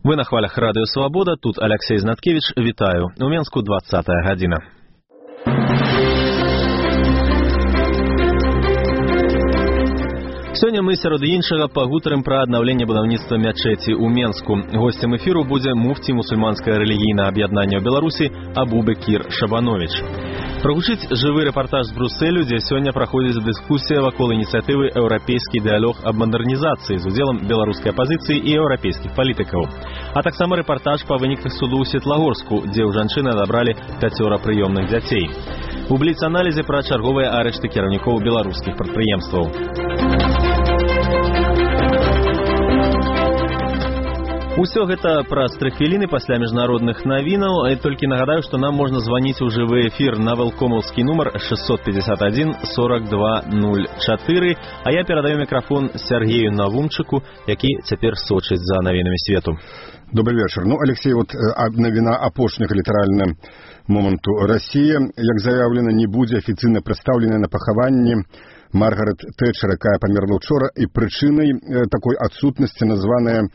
Вы на хвалях Радыё Свабода, тут Алексей Знаткевич, вітаю. У Менску 20-я гадзіна. Сёння мы сярод іншага пагутарым пра аднаўленне будаўніцтва мячэці ў Менску. Госцем эфіру будзе муфці мусульманскае рэлігійнае аб'яднання ў Беларусі Абу Бекір Шабанович. Прагучыць жывы рэпартаж з Брусэлю, дзе сёння праходзіць дыскусія вакол ініцыятывы «Еўрапейскі дыялог аб мадэрнізацыі» з удзелам беларускай апазіцыі і еўрапейскіх палітыкаў. А таксама рэпартаж па выніках суду ў Светлагорску, дзе ў жанчыны адабралі 5 прыёмных дзяцей. У бліц-аналізе пра чарговыя арышты кіраўнікоў беларускіх прадпрыемстваў. Усё гэта праз 3 хвіліны пасля міжнародных навінаў. Толькі нагадаю, што нам можна званіць у жывы эфір на велкомаўскі нумар 651 42 04. А я перадаю мікрафон Сергею Навумчыку, які цяпер сочыць за навінамі свету. Добрый вечер. Алексей, навіна апошняга літаральна моманту. Россия, як заявлена, не будзе афіцыйна прадстаўлена на пахаванні Маргарет Тэтчер, якая памерла ўчора, і прычынай такой адсутнасці названая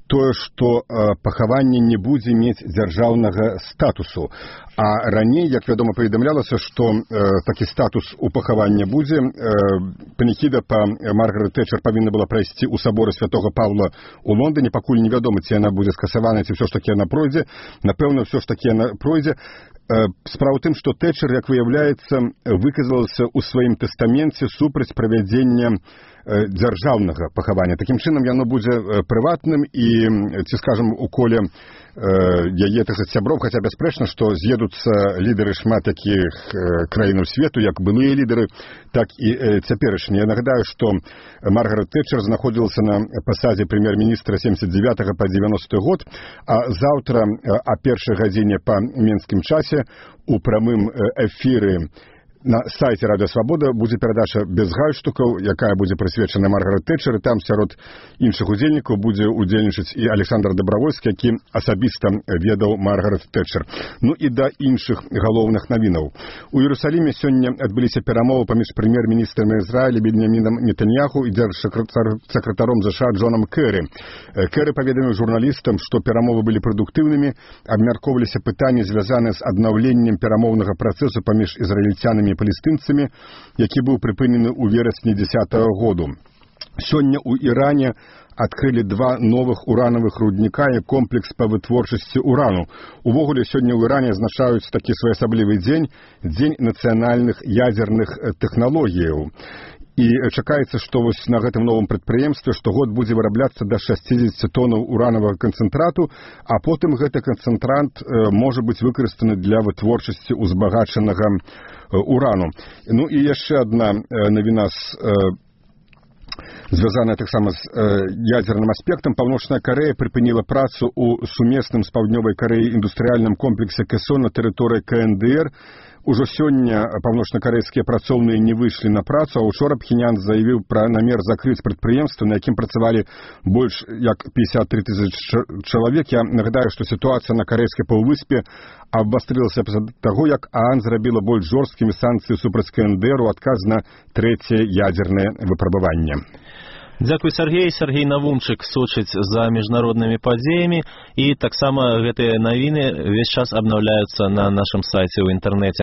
тое, што пахаванне не будзе мець дзяржаўнага статусу. А раней, як вядома, паведамлялася, што такі статус у пахавання будзе. Паніхіда па Маргарет Тэтчер павінна была прайсці ў саборы святога Паўла ў Лондоне, пакуль невядома, ці яна будзе скасавана, ці ўсё ж такі яна пройдзе. Напэўна, ўсё ж такі яна пройдзе. Справа ў тым, што Тэтчер, як выяўляецца, выказалася ў сваім тэстаменце супраць правядзення дзяржаўнага пахавання. Такім чынам, яно будзе прыватным і, ці скажам, у коле яе сяброў, хаця бясспрэчна, што з'едуцца лідары шмат якіх краінаў свету, як былыя лідары, так і цяперашнія. Я нагадаю, што Маргарет Тэтчер знаходзілася на пасадзе прэм'ер-міністра 79 па 90 год, а заўтра о 1 гадзіне па менскім часе у прамым эфіры на сайце Радыё Свабода будзе перадача без гальштукаў, якая будзе прысвечана Маргарет Тэтчер, і там сярод іншых удзельнікаў будзе удзельнічаць і Александр Дабравольскі, які асабіста ведаў Маргарет Тэтчер. І да іншых галоўных навінаў. У Іерусаліме сёння адбыліся перамовы паміж прэм'ер-міністрам Ізраіля Беньямінам Нетаньяху і дзяржсакратаром ЗША Джонам Кэры. Кэры паведаміў журналістам, што перамовы былі прадуктыўнымі, абмяркоўваліся пытанні, звязаныя з аднаўленнем перамоўнага працэсу паміж ізраільцянамі і палестынцамі, які быў прыпынены ў верасні 10-го году. Сёння ў Іране адкрылі 2 новых уранавых рудніка і комплекс па вытворчасці урану. Увогуле, сёння ў Іране азначаюць такі своеасаблівы дзень, дзень нацыянальных ядзерных тэхналогіяў. І чакаецца, што на гэтым новым прадпрыемстве штогод будзе вырабляцца да 60 тонаў уранавага канцэнтрату, а потым гэты канцэнтрант можа быць выкарыстаны для вытворчасці узбагачанага урану. І яшчэ адна навіна звязаная таксама з ядзерным аспектам. Паўночная Карэя прыпыніла працу ў сумесным з Паўднёвай Карэяй індустрыяльным комплексе Кэсон на тэрыторыі КНДР. Ужо сёння паўночнакарэйскія працоўныя не выйшлі на працу, а ўчора Пхенян заявіў пра намер закрыць прадпрыемства, на якім працавалі больш як 53 000 чалавек. Я нагадаю, што сітуацыя на карэйскай паўвыспе абвастрылася пасля таго, як ААН зрабіла больш жорсткімі санкцыі супраць КНДР у адказ на 3-е ядзернае выпрабаванне. Дзякуй, Сергей. Сергей Навумчык сочыць за міжнароднымі падзеямі, і таксама гэтыя навіны ўвесь час абнаўляюцца на нашым сайце ў інтэрнэце.